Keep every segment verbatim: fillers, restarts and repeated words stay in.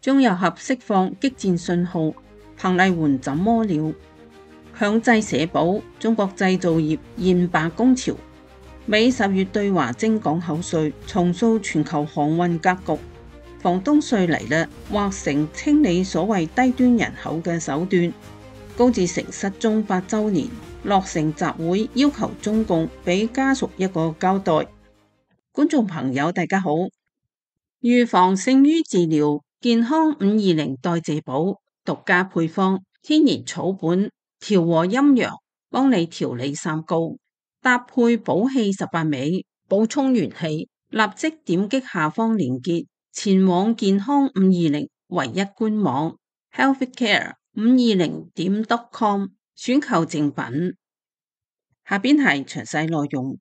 中油合釋放激戰信號，彭麗媛怎麼了？強制社保，中國製造業現罷工潮。美十月對華徵港口稅，重塑全球航運格局。房東稅嚟啦，劃成清理所謂低端人口嘅手段。高志成失蹤八週年，落成集會要求中共俾家屬一個交代。觀眾朋友大家好，預防勝於治療，健康五二零代謝寶獨家配方，天然草本，調和陰陽，幫你調理三高，搭配補氣十八味，補充元氣。立即點擊下方鏈接，前往健康五二零唯一官網 healthcare 五二零點 com 選購正品。下邊係詳細內容。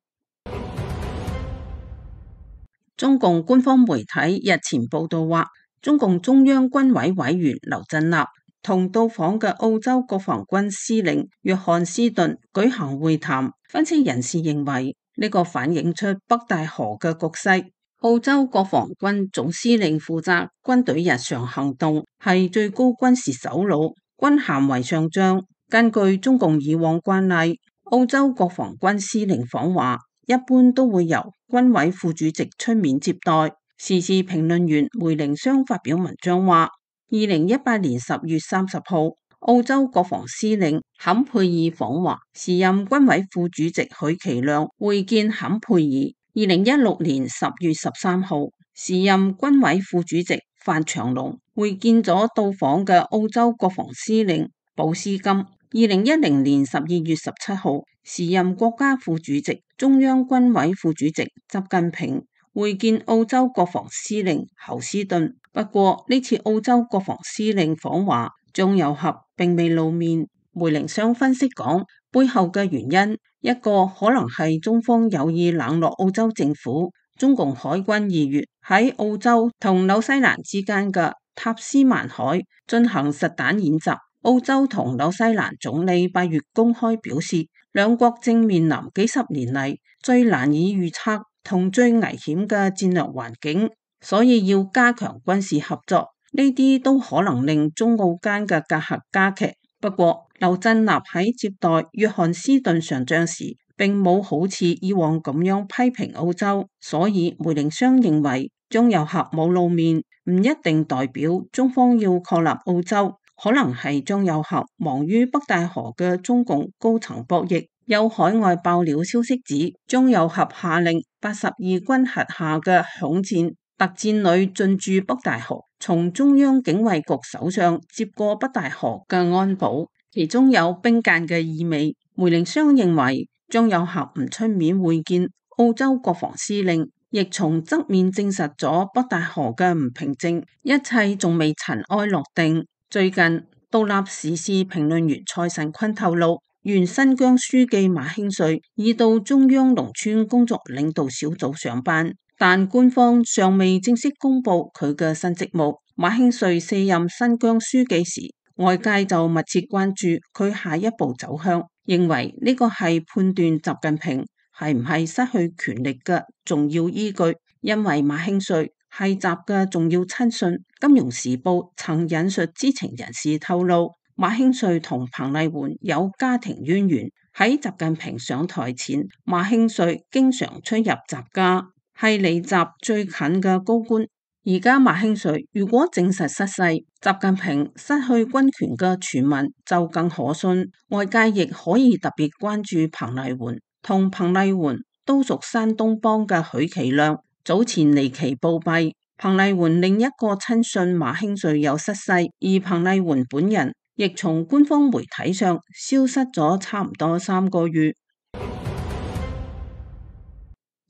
中共官方媒體日前報道話，中共中央軍委委員劉振立同到訪嘅澳洲國防軍司令約翰斯頓舉行會談。分析人士認為，呢個反映出北戴河嘅局勢。澳洲國防軍總司令負責軍隊日常行動，係最高軍事首腦，軍銜為上將。根據中共以往慣例，澳洲國防軍司令訪華一般都會由軍委副主席出面接待。時事評論員梅凌湘發表文章話，二零一八年十月三十號，澳洲國防司令坎佩爾訪華，時任軍委副主席許其亮會見坎佩爾。二零一六年十月十三號，時任軍委副主席范長龍會見咗到訪嘅澳洲國防司令保斯金。二零一零年十二月十七號，時任國家副主席、中央軍委副主席習近平會見澳洲國防司令侯斯頓。不過呢次澳洲國防司令訪華，張又俠並未露面。梅凌湘分析講，背後嘅原因一個可能係中方有意冷落澳洲政府。中共海軍二月喺澳洲同紐西蘭之間嘅塔斯曼海進行實彈演習。澳洲同紐西蘭總理八月公開表示，兩國正面臨幾十年嚟最難以預測同最危險嘅戰略環境，所以要加強軍事合作。呢啲都可能令中澳間嘅隔閡加劇。不過劉振立喺接待約翰斯頓上將時，並冇好似以往咁樣批評澳洲，所以梅凌湘認為張又俠冇露面，唔一定代表中方要確立澳洲。可能係張又俠忙於北戴河嘅中共高層博弈。有海外爆料消息指，張又俠下令八十二軍轄下嘅響箭特戰旅進駐北戴河，從中央警衛局手上接過北戴河嘅安保，其中有兵諫嘅意味。梅凌湘認為張又俠唔出面會見澳洲國防司令，亦從側面證實咗北戴河嘅唔平靜，一切仲未塵埃落定。最近，獨立時事評論員蔡慎坤透露，原新疆書記馬興瑞已到中央農村工作領導小組上班，但官方尚未正式公布佢嘅新職務。馬興瑞卸任新疆書記時，外界就密切關注佢下一步走向，認為呢個係判斷習近平係唔係失去權力嘅重要依據，因為馬興瑞係習嘅重要親信。金融時報曾引述知情人士透露，馬興瑞同彭麗媛有家庭淵源。喺習近平上台前，馬興瑞經常出入習家，係離習最近嘅高官。而家馬興瑞如果證實失勢，習近平失去軍權嘅傳聞就更可信。外界亦可以特別關注彭麗媛。同彭麗媛都屬山東幫嘅許其亮早前離奇暴斃。彭麗媛另一個親信馬興瑞有失勢，而彭麗媛本人亦從官方媒體上消失咗差唔多三個月。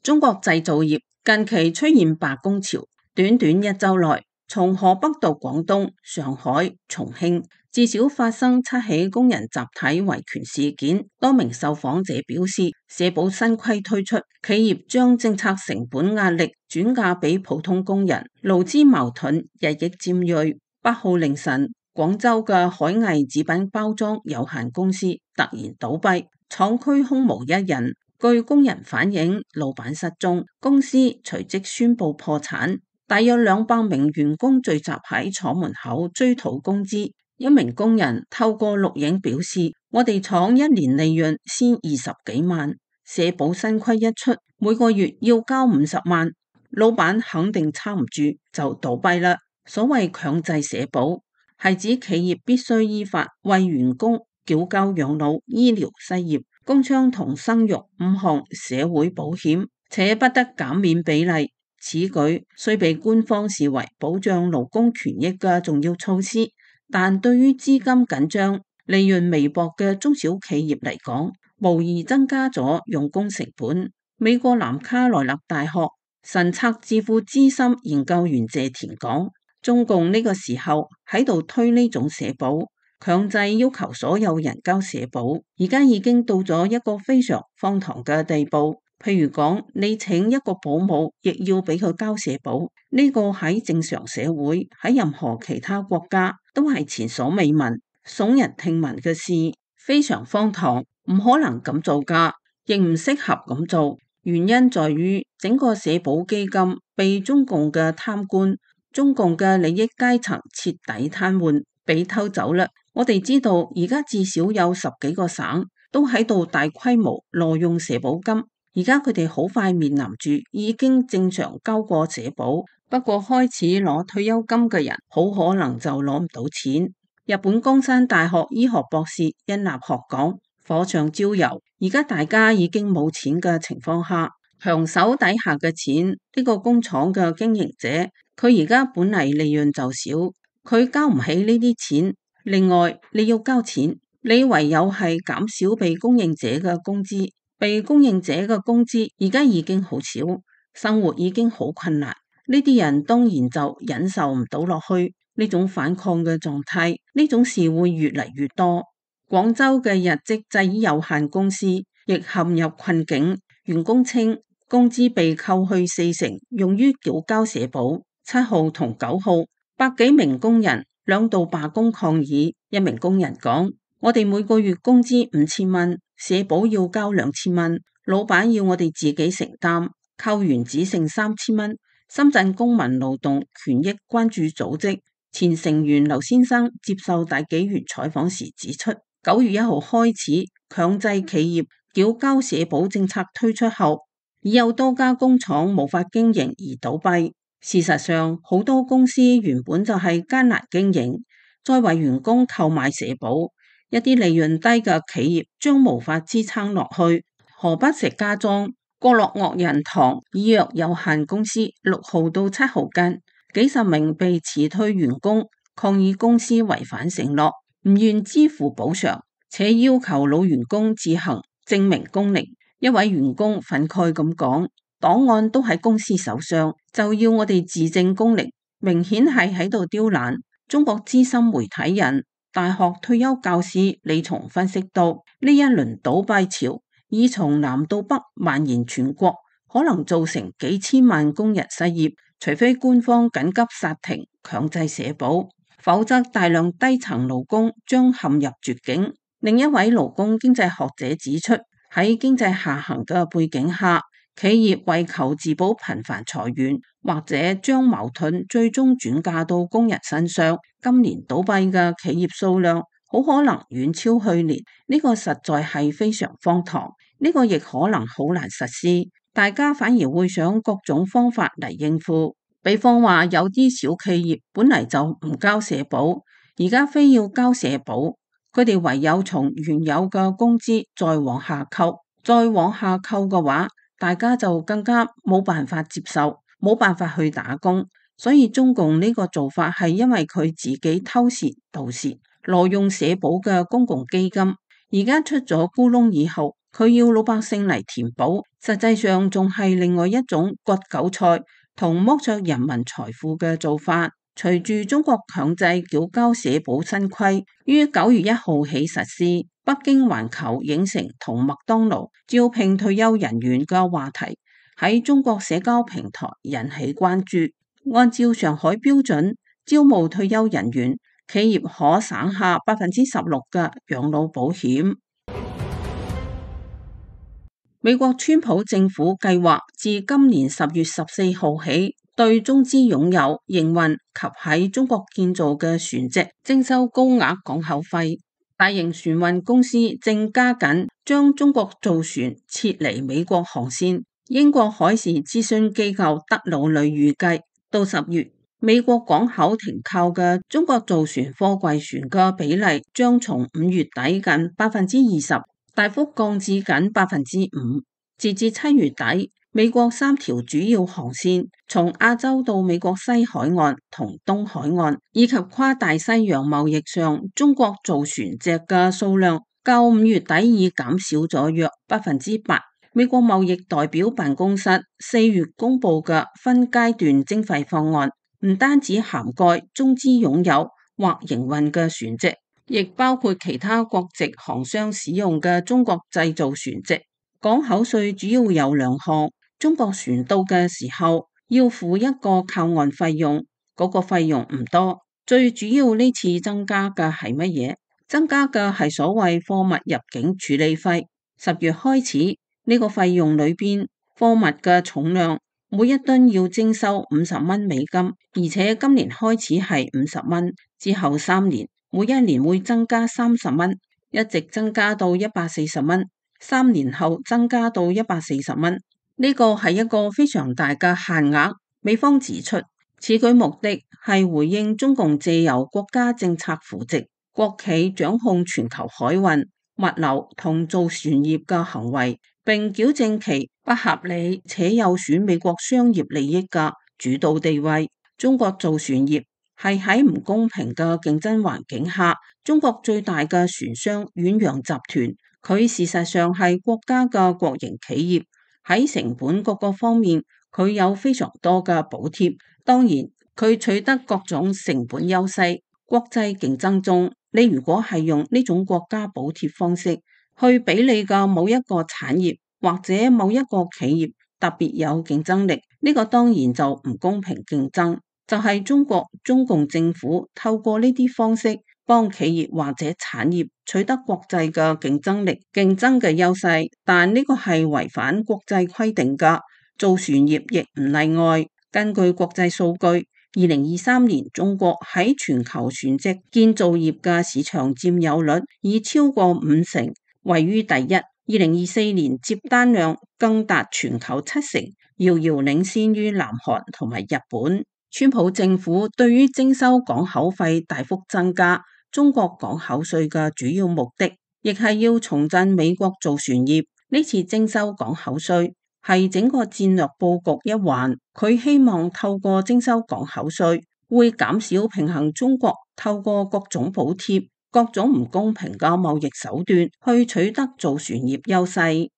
中國製造業近期出現罷工潮，短短一周內，從河北到廣東、上海、重慶，至少發生七起工人集體維權事件。多名受訪者表示，社保新規推出，企業將政策成本壓力轉嫁俾普通工人，勞資矛盾日益尖銳。八號凌晨，廣州嘅海藝紙品包裝有限公司突然倒閉，廠區空無一人。據工人反映，老闆失蹤，公司隨即宣布破產。大約兩百名員工聚集喺廠門口追討工資。一名工人透過錄影表示：我哋廠一年利潤先二十幾萬，社保新規一出，每個月要交五十萬，老闆肯定撐唔住就倒閉啦。所謂強制社保，係指企業必須依法為員工繳交養老、醫療、失業、工傷同生育五項社會保險，且不得減免比例。此舉雖被官方視為保障勞工權益嘅重要措施，但對於資金緊張、利潤微薄嘅中小企業嚟講，無疑增加咗用工成本。美國南卡羅來納大學神策智庫資深研究員謝田講：中共呢個時候喺度推呢種社保，強制要求所有人交社保，而家已經到咗一個非常荒唐嘅地步。譬如講，你請一個保姆，亦要俾佢交社保，呢個喺正常社會，喺任何其他國家都係前所未聞、聳人聽聞嘅事，非常荒唐，唔可能咁做噶，亦唔適合咁做。原因在於整個社保基金被中共嘅貪官、中共嘅利益階層徹底癱瘓，被偷走啦。我哋知道而家至少有十幾個省都喺度大規模挪用社保金。而家佢哋好快面臨住已經正常交過社保，不過開始攞退休金嘅人，好可能就攞唔到錢。日本江山大學醫學博士殷立學講：火上澆油，而家大家已經冇錢嘅情況下，強手底下嘅錢，呢個工廠嘅經營者，佢而家本嚟利潤就少，佢交唔起呢啲錢。另外你要交錢，你唯有係減少被供應者嘅工資。被供應者嘅工資而家已經好少，生活已經好困難，呢啲人當然就忍受唔到落去呢種反抗嘅狀態，呢種事會越嚟越多。廣州嘅日積製衣有限公司亦陷入困境，員工稱工資被扣去四成，用於繳交社保。七號同九號，百幾名工人兩度罷工抗議。一名工人講：我哋每個月工資五千蚊。社保要交兩千蚊，老闆要我哋自己承擔，扣完只剩三千蚊。深圳公民勞動權益關注組織前成員劉先生接受大紀元採訪時指出，九月一號開始強制企業繳交社保政策推出後，已有多家工廠無法經營而倒閉。事實上，好多公司原本就係艱難經營，再為員工購買社保，一啲利潤低嘅企業將無法支撐落去。河北石家莊國樂樂仁堂醫藥有限公司六號到七號間，幾十名被辭退員工抗議公司違反承諾，唔願支付補償，且要求老員工自行證明工齡。一位員工憤慨咁講：檔案都喺公司手上，就要我哋自證工齡，明顯係喺度刁難。中國資深媒體人、大學退休教師李松分析到，呢一輪倒閉潮已從南到北蔓延全國，可能造成幾千萬工人失業，除非官方緊急剎停強制社保，否則大量低層勞工將陷入絕境。另一位勞工經濟學者指出，喺經濟下行嘅背景下，企業為求自保頻繁裁員，或者將矛盾最終轉嫁到工人身上。今年倒閉嘅企業數量好可能遠超去年，呢個實在係非常荒唐，呢個亦可能好難實施。大家反而會想各種方法嚟應付，比方話有啲小企業本嚟就唔交社保，而家非要交社保，佢哋唯有從原有嘅工資再往下扣，再往下扣嘅話，大家就更加冇辦法接受，冇辦法去打工。所以中共呢個做法係因為佢自己偷竊盜竊挪用社保嘅公共基金，而家出咗咕窿以後，佢要老百姓嚟填補，實際上仲係另外一種割韭菜同剝削人民財富嘅做法。隨住中國強制繳交社保新規於九月一號起實施，北京環球影城同麥當勞招聘退休人員嘅話題喺中國社交平台引起關注。按照上海標準招募退休人員，企業可省下百分之十六嘅養老保險。美國川普政府計劃自今年十月十四號起，對中資擁有、營運及喺中國建造嘅船隻徵收高額港口費。大型船運公司正加緊將中國造船撤離美國航線。英國海事諮詢機構德魯里預計，到十月，美國港口停靠嘅中國造船貨櫃船嘅比例將從五月底近百分之二十大幅降至僅百分之五。截至七月底，美國三條主要航線，從亞洲到美國西海岸同東海岸，以及跨大西洋貿易上，中國造船隻嘅數量較五月底已減少咗約百分之八。美國貿易代表辦公室四月公布嘅分階段徵費方案，唔單止涵蓋中資擁有或營運嘅船隻，亦包括其他國籍航商使用嘅中國製造船隻。港口稅主要有兩項，中國船到嘅時候要付一個靠岸費用，嗰個費用唔多。最主要呢次增加嘅係乜嘢？增加嘅係所謂貨物入境處理費。十月開始，呢個費用裏邊貨物嘅重量每一噸要徵收五十蚊美金，而且今年開始係五十蚊，之後三年每一年會增加三十蚊，一直增加到一百四十蚊，三年後增加到一百四十蚊。呢個係一個非常大嘅限額。美方指出，此舉目的係回應中共借由國家政策扶植國企掌控全球海運、物流同造船業嘅行為，並矯正其不合理且有損美國商業利益嘅主導地位。中國造船業係喺唔公平嘅競爭環境下，中國最大嘅船商遠洋集團，佢事實上係國家嘅國營企業，喺成本各個方面佢有非常多嘅補貼。當然佢取得各種成本優勢。國際競爭中，你如果係用呢種國家補貼方式去比你嘅某一個產業或者某一個企業特別有競爭力，呢個當然就唔公平競爭。就係中國中共政府透過呢啲方式幫企業或者產業取得國際嘅競爭力、競爭嘅優勢，但呢個係違反國際規定㗎。造船業亦唔例外。根據國際數據，二零二三年中國喺全球船隻建造業嘅市場佔有率已超過五成，位於第一。二零二四年接單量更達全球七成，遙遙領先於南韓同埋日本。川普政府對於徵收港口費大幅增加中國港口稅嘅主要目的，亦係要重振美國造船業。呢次徵收港口稅係整個戰略佈局一環，佢希望透過徵收港口稅，會減少平衡中國透過各種補貼、各種唔公平嘅貿易手段去取得造船業優勢。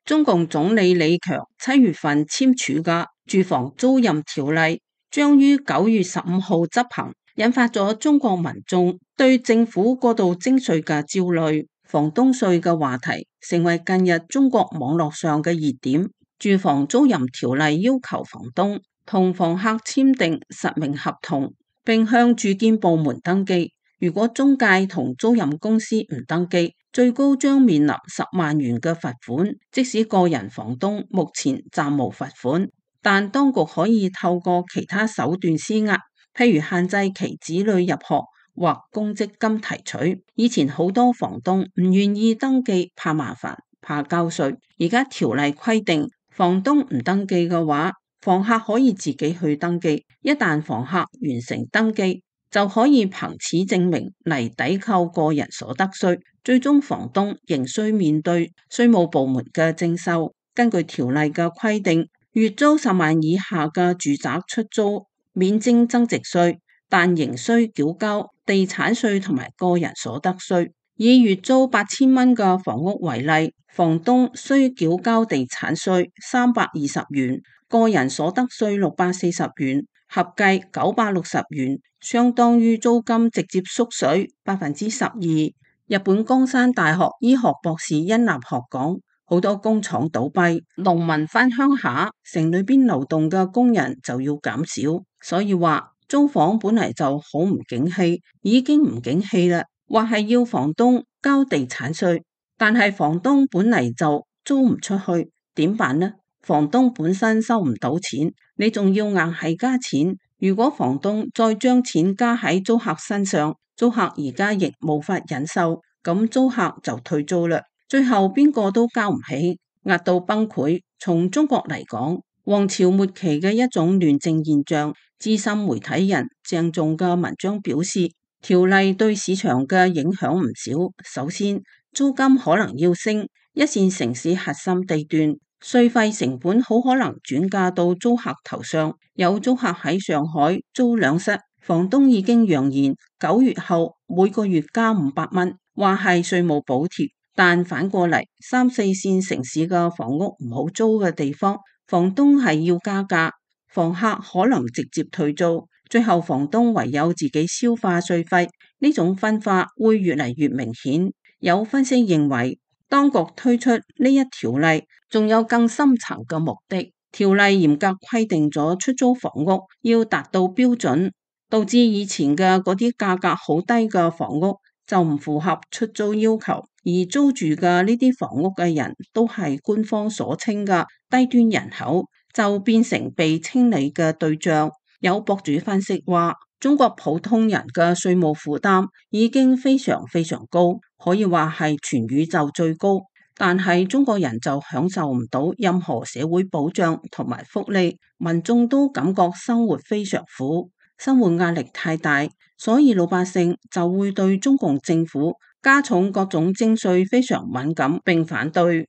中共總理李強七月份簽署嘅住房租賃條例將於九月十五號執行，引發咗中國民眾對政府過度徵稅嘅焦慮。房東稅嘅話題成為近日中國網絡上嘅熱點。住房租賃條例要求房東同房客簽訂實名合同，並向住建部門登記。如果中介同租賃公司唔登記，最高將面臨十萬元嘅罰款。即使個人房東目前暫無罰款，但當局可以透過其他手段施壓，譬如限制其子女入學或公積金提取。以前好多房東唔願意登記，怕麻煩，怕交稅。而家條例規定，房東唔登記嘅話，房客可以自己去登記。一旦房客完成登記，就可以憑此證明嚟抵扣個人所得稅。最終房東仍需面對稅務部門嘅徵收。根據條例嘅規定，月租十萬以下嘅住宅出租免徵增值稅，但仍需繳交地產稅同埋個人所得稅。以月租八千蚊嘅房屋為例，房東需繳交地產稅三百二十元，個人所得稅六百四十元，合計九百六十元，相當於租金直接縮水百分之十二。日本江山大學醫學博士殷立學講，好多工廠倒閉，農民返鄉下，城裏邊勞動嘅工人就要減少，所以話租房本嚟就好唔景氣，已經唔景氣啦，或係要房東交地產稅，但係房東本嚟就租唔出去，點辦呢？房東本身收唔到錢，你仲要硬係加錢。如果房東再將錢加喺租客身上，租客而家亦無法忍受，咁租客就退租啦。最後邊個都交唔起，壓到崩潰。從中國嚟講，王朝末期嘅一種亂政現象。資深媒體人鄭重嘅文章表示，條例對市場嘅影響唔少。首先，租金可能要升，一線城市核心地段稅費成本好可能轉嫁到租客頭上。有租客喺上海租兩室，房東已經揚言九月後每個月加五百蚊，話係稅務補貼。但反過嚟，三四線城市嘅房屋唔好租嘅地方，房東係要加價，房客可能直接退租，最後房東唯有自己消化稅費。呢種分化會越嚟越明顯。有分析認為，當局推出呢一條例仲有更深層嘅目的。條例嚴格規定咗出租房屋要達到標準，導致以前嘅嗰啲價格好低嘅房屋就唔符合出租要求，而租住嘅呢啲房屋嘅人都係官方所稱嘅低端人口，就變成被清理嘅對象。有博主分析話，中國普通人嘅稅務負擔已經非常非常高，可以話係全宇宙最高，但係中國人就享受唔到任何社會保障同埋福利，民眾都感覺生活非常苦，生活壓力太大，所以老百姓就會對中共政府加重各種徵稅非常敏感並反對。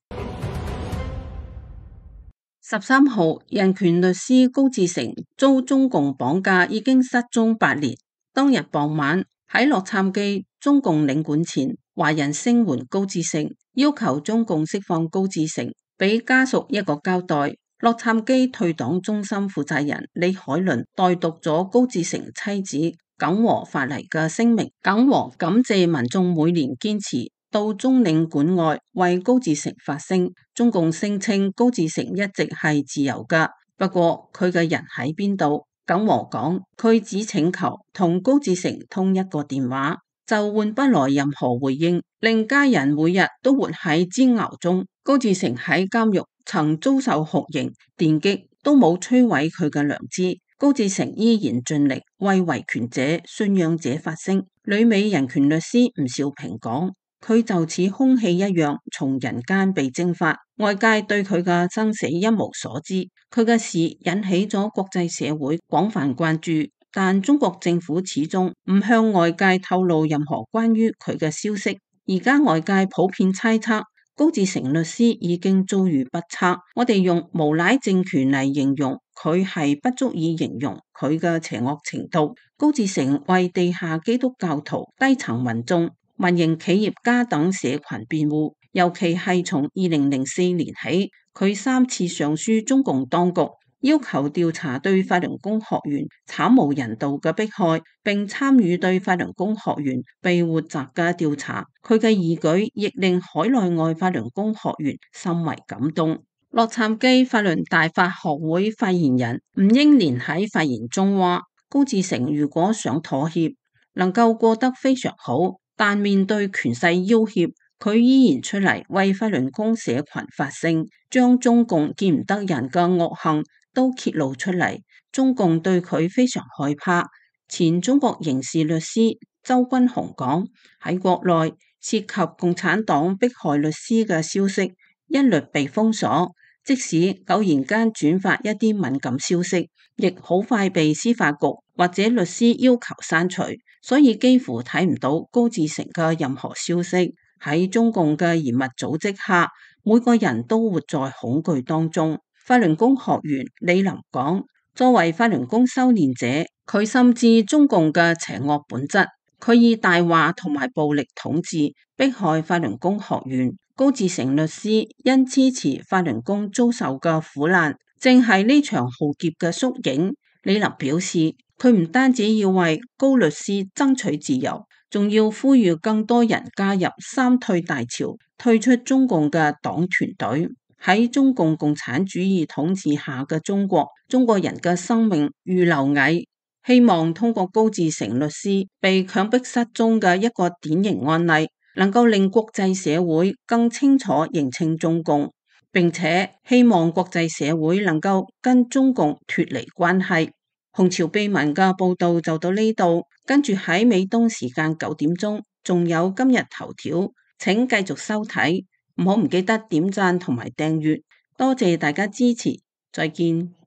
十三號，人權律師高志成遭中共綁架已經失蹤八年。當日傍晚喺洛杉磯中共領館前，華人聲援高志成，要求中共釋放高志成，俾家屬一個交代。洛杉磯退黨中心負責人李海倫代讀咗高志成妻子耿和發嚟嘅聲明。耿和感謝民眾每年堅持到中領館外為高志成發聲。中共聲稱高志成一直係自由噶，不過佢嘅人喺邊度？耿和講，佢只請求同高志成通一個電話，就換不來任何回應，令家人每日都活喺煎熬中。高志成喺監獄曾遭受酷刑、電擊，都冇摧毀佢嘅良知。高志成依然盡力為維權者、信仰者發聲。旅美人權律師吳兆平講，佢就似空氣一樣從人間被蒸發，外界對佢嘅生死一無所知。佢嘅事引起咗國際社會廣泛關注，但中國政府始終唔向外界透露任何關於佢嘅消息。而家外界普遍猜測，高志成律師已經遭遇不測，我哋用無賴政權嚟形容佢係不足以形容佢嘅邪惡程度。高志成為地下基督教徒、低層民眾、民營企業家等社群辯護，尤其係從二零零四年起，佢三次上書中共當局，要求調查對法輪功學員慘無人道嘅迫害，並參與對法輪功學員被活摘嘅調查。佢嘅義舉亦令海內外法輪功學員甚為感動。洛杉磯法輪大法學會發言人吳英蓮喺發言中話，高志成如果想妥協，能夠過得非常好，但面對權勢要挾，佢依然出嚟為法輪功社群發聲，將中共見唔得人嘅惡行都揭露出嚟。中共對佢非常害怕。前中國刑事律師周君雄講，喺國內涉及共產黨迫害律師嘅消息一律被封鎖，即使偶然間轉發一啲敏感消息，亦好快被司法局或者律師要求刪除，所以幾乎睇唔到高志成嘅任何消息。喺中共嘅嚴密組織下，每個人都活在恐懼當中。法輪功學員李林講，作為法輪功修煉者，佢深知中共嘅邪惡本質，佢以大話同埋暴力統治迫害法輪功學員。高志成律師因支持法輪功遭受嘅苦難，正係呢場浩劫嘅縮影。李林表示，佢唔單止要為高律師爭取自由，仲要呼籲更多人加入三退大潮，退出中共嘅黨團隊。喺中共共產主義統治下嘅中國，中國人嘅生命如螻蟻。希望通過高志成律師被強迫失蹤嘅一個典型案例，能夠令國際社會更清楚認清中共，並且希望國際社會能夠跟中共脫離關係。紅潮秘聞嘅報道就到呢度，跟住喺美東時間九點鐘，仲有今日頭條，請繼續收睇，唔好唔記得點讚同埋訂閱，多謝大家支持，再見。